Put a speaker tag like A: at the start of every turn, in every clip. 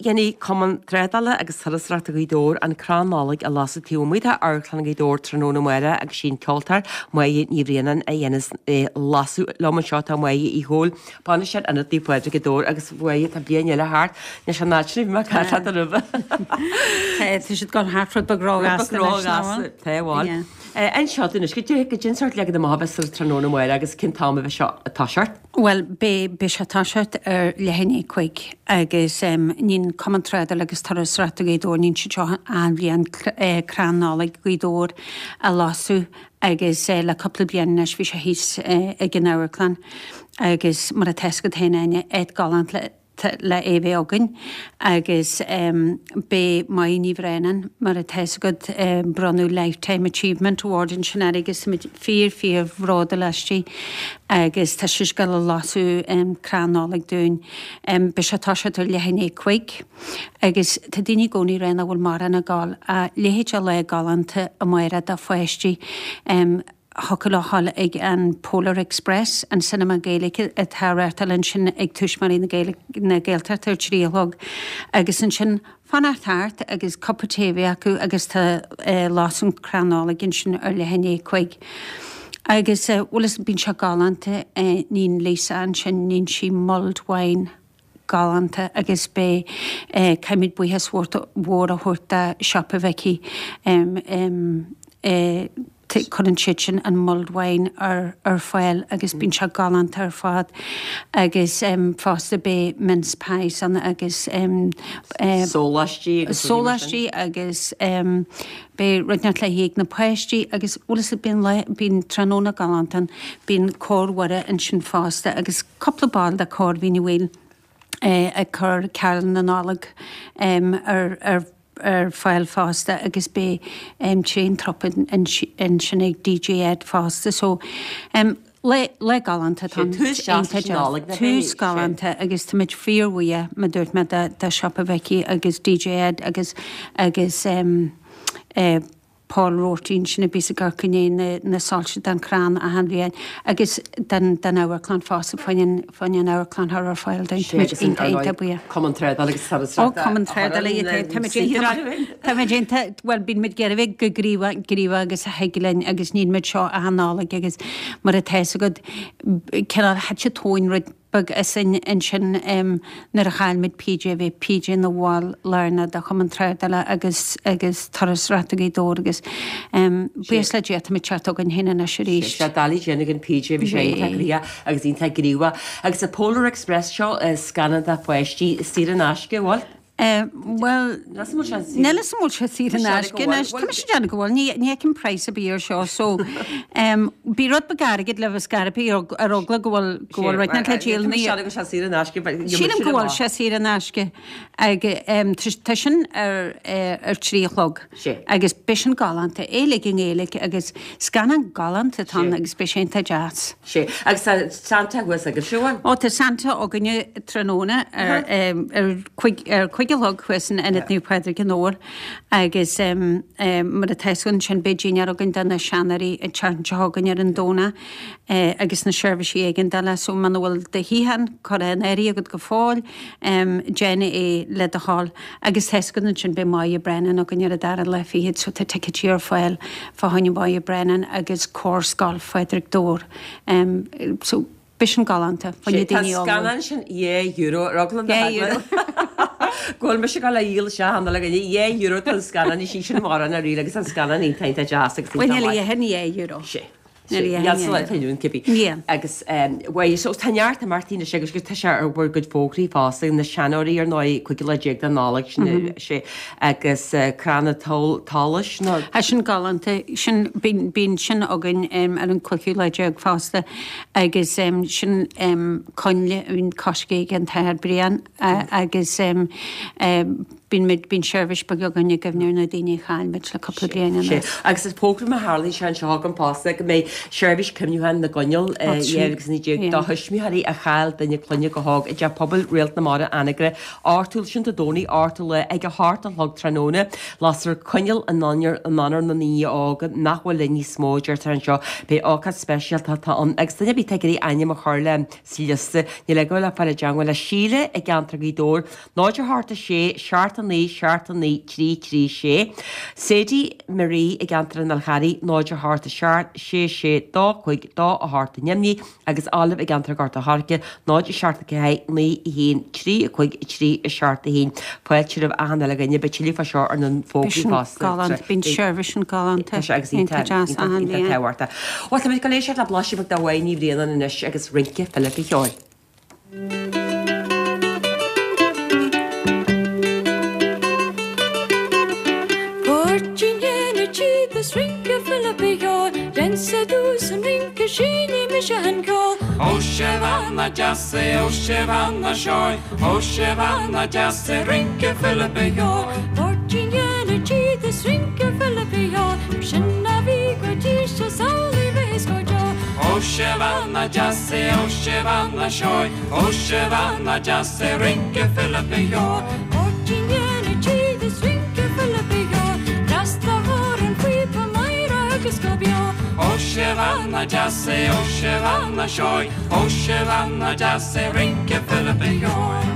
A: Dhéanfaidh Cumann Trádála agus Turasóireachta Ghaoth Dobhair an crann Nollag a lasadh taobh amuigh de Amharclann Ghaoth Dobhair tráthnóna amárach agus sí an ceoltóir Máire Ní Bhraonáin a dhéanas é lasadh. Liom anseo tá Máire Uí Chomhaill, Bainisteoir Ionad Naomh Pádraig Ghaoth Dobhair agus Mháire tá bliain eile thart, anois an áit sin a bhí mé ag caint leat roimhe.
B: Tá, tá siad ag dul thart rud beag róghasta anois, nach bhfuil?
A: Tá, bhuel. Anseo anois, goidé, goidé an sórt leagan amach a bheas ar tráthnóna amárach agus cén t-am a bheas seo ag toiseacht?
B: Bhuel, beidh, beidh sé ag toiseacht ar leath i ndiaidh 5 agus níonn Cumann Trádála agus Turasóireachta Ghaoth Dobhair, níonn siad seo achan bhliain crann Nollag Ghaoth Dobhair a lasadh agus le cúpla bliain anois bhí sé thíos ag an amharclann agus mar atá fhios agat féin Áine, áit galánta le le é bheith againn agus beidh Máire Ní Bhraonáin, mar atá fhios agat, bronnadh Lifetime Achievement Award ansin uirthi agus táimid fíor fíor bhródúil aisti agus tá sise ag gabháil a lasadh crann Nollag dúinn. Beidh sé ag toiseacht ar leath i ndiaidh 5 agus tá daoine i gcónaí ag rá nach bhfuil mórán ag gabháil a leithéid de lá galánta amárach do pháistí. Thiocfadh leo a ghabháil ag an Polar Express, an cinema Gaeilge atá á reáchtáil ansin ag Tuismitheoirí na Gaeilge, na Gaeltachta ar 3 a chlog agus ansin fanacht thart agus cupa tae a bheith acu agus tá lasadh an crann Nollag ansin ar leath i ndiaidh 5. Agus bhuel is bíonn sé galánta, níonn Lisa ansin, níonn sí mulled wine. galánta agus beidh, caithfimid buíochas mhór a thabhairt do Siopa Mhicí, cuireann siad sin an mulled wine ar ar fáil agus bíonn sé galánta ar fad agus fosta beidh mince pies ann agus
A: sóláistí agus
B: sóláistí agus beidh rud inteacht le hithe ag na páistí agus bhuel is bíonn lá bíonn tráthnóna galánta ann bíonn Cór Mhuire ansin fosta agus cúpla ball de Chór Mhín Uí Bhaoill ag cur Carúil na Nollag ar ar fáil fosta agus beidh tréan trup ansin ag DJ Ed fosta so lá lá galánta atá ann.
A: Tús deas leis an Nollaig
B: na Tús galánta agus táimid fíorbhuíoch mar dúirt mé de de Siopa Mhicí agus DJ Ed agus agus Paul Roarty ansin a bhíos ag amharc i ndiaidh na soilse don chrann achan bhliain agus don amharclann fosta, fá choinne an amharclann a chur ar fáil dúinn. Táimid iontach iontach buíoch.
A: Cumann Trádála agus Turasóireachta.
B: Ó, Cumann Trádála, táimid iontach, táimid iontach, bhuel bíonn muid ag iarraidh bheith chomh gníomhach, gníomhach agus a thig linn agus níonn muid seo achan Nollaig agus mar atá fhios agat, cineál thit an tóin rud beag asainn ansin nuair a chaill muid PJ, bhí PJ ina bhall lárnach de Chumann Trádála agus agus Turasóireachta Ghaoth Dobhair agus buíochas le Dia táimid ag teacht chugainn féin anois arís.
A: Sé doiligh déanamh gan PJ, bhí sé iontach gnoitheach agus iontach gníomhach. Agus an Polar Express seo, scannán do pháistí saor in aisce, an bhfuil?
B: Bhuel, níl 'fhios a'm an bhfuil sé saor in aisce anois. Tá mise ag déanamh go bhfuil. Ní fheicim praghas ar bith air seo so bíodh rud beag airgid libh is scaipthe ar eagla go bhfuil go bhfuil rud inteacht le díol. Sílim go bhfuil sé saor in aisce agus tá sin ar ar 3 a chlog agus beidh sin galánta, é uilig i nGaeilge agus scannán galánta atá ann agus beidh sé iontach deas.
A: Sea. Agus tá Santa thuas agaibhse, an bhfuil?
B: Ó, tá Santa againne tráthnóna ar ar ar chuig a chlog thuas in Ionad Naomh Pádraig i nDobhar agus mar atá fhios agat ansin beidh dinnéar againn do na seanóirí an tseachtain seo chugainn ar an Domhnach agus na seirbhísí éigeandála so muna bhfuil do shuíochán curtha in áirithe agat go fóill déan é le do thoil. Agus tá fhios agat ansin beidh Máire Brennan againn ar an dara lá fichead so tá ticéidí ar fáil fá choinne Máire Brennan agus Cór Scoil Phádraig Dobhair. So beidh sin galánta fá choinne
A: daoine óga. Tá an scannán sin €2 ar eagla na heagla go bhfuil mise ag dul a dhíol isteach an Nollaig inniu. €2 tá an scannán, ní sin mórán ar ríl agus an scannán iontach iontach deas agus
B: iontach maith. Bhuel níl a dhéanamh €2.
A: Sea. Níl sa lá atá inniu ann cibé. Agus bhuel, so tá neart imeachtaí anois agus tá sé ar bhur gcuid fógraí fosta, na seanóirí ar ndóigh, 15 lá de Nollaig, sin sé, agus crann an tsolais
B: nó. Tá sin galánta, sin, bíonn sin againn ar an cúigiú lá déag fosta agus sin coinnle a bhíonn coiscthe ag an tAthair Brian agus. Bíonn muid, bíonn seirbhís beag againn i gcuimhne ar na daoine a chaill muid le cúpla bliain
A: anuas. Agus is fógraím a tharlaíonn sé anseo agam fosta go mbeidh seirbhís cuimhniúcháin na gcoinneal 2019 do thuismitheoirí a chaill duine clainne go hóg i dTeach Pobail Réalt na Mara, Anagaire, 8ú, sin Dé Domhnaigh, 8ú lá ag a hocht a chlog tráthnóna. Lasfar coinneal in onóir na ndaoine óga nach bhfuil linn níos mó, deirtear anseo. Beidh ócáid speisialta atá ann agus duine ar bith atá ag iarraidh ainm a chur le sa liosta, níl eagla le fáil i dteangmháil le Síle i gceantar Ghaoth Dobhair, 0 8 6 7 9 7 9 3 3 6. Sadie Marie i gceantar an Fhál Charraigh, 0 8 7 6 6 2 5 2 8 i nDoimní agus Olive i gceantar Ghort a' Choirce, 0 7 4 9 1 3 5 3 7 1. Fáilte roimh achan uile dhuine, beidh tuilleadh fá seo ar na fógraí
B: fosta. Galánta, bíonn seirbhís an galánta.
A: Tá sé agus iontach deas achan bhliain. Tábhachtach. Bhuel, tá muid ag éisteacht le blaiseadh beag de Mháire Ní Bhraonáin anois agus Rince Philip Uí Cheoil.
C: Poirtín na tíde 's rince Philip Uí Cheoil, Déansa dús an rince seinnfidh mise an ceol.
D: Ó sé bhean deas é, ó sé bhean seoigh, ó sé bhean deas é, rince Philip Uí Cheoil.
C: Poirtín na tíde 's rince Philip Uí Cheoil, mar sin a bhí go dtí seo 's amhlaidh bheas go deo.
D: Ó sé bhean deas é, ó sé bhean seoigh, ó sé bhean deas é, rince Philip Uí Cheoil.
C: Poirtín na tíde 's rince Philip Uí Cheoil, trasna thar an phíopa Máire agus go beo.
D: Ó sé bhean deas é, ó sé bhean seoigh, ó sé bhean deas é, rince Philip Uí Cheoil.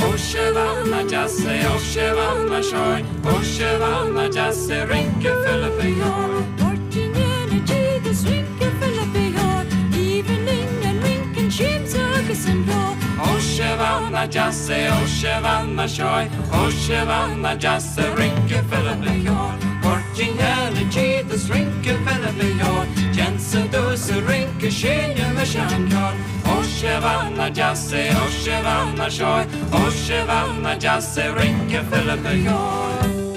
D: Ó sé bhean deas é, ó sé bhean seoigh, ó sé bhean deas é, rince Philip Uí Cheoil.
C: Poirtín na tíde 's rince Philip Uí Cheoil, aoibhinn linn an rince, an siamsa agus an ceol.
D: Ó sé bhean deas é, ó sé bhean seoigh, ó sé bhean deas é, rince Philip Uí Cheoil. Poirtín na tíde 's rince Philip Uí Cheoil, Déansa domhsa rince seinnfidh mise an ceol. Ó sé bhean deas é, ó sé bhean seoigh, ó sé bhean deas é, rince Philip Uí Cheoil.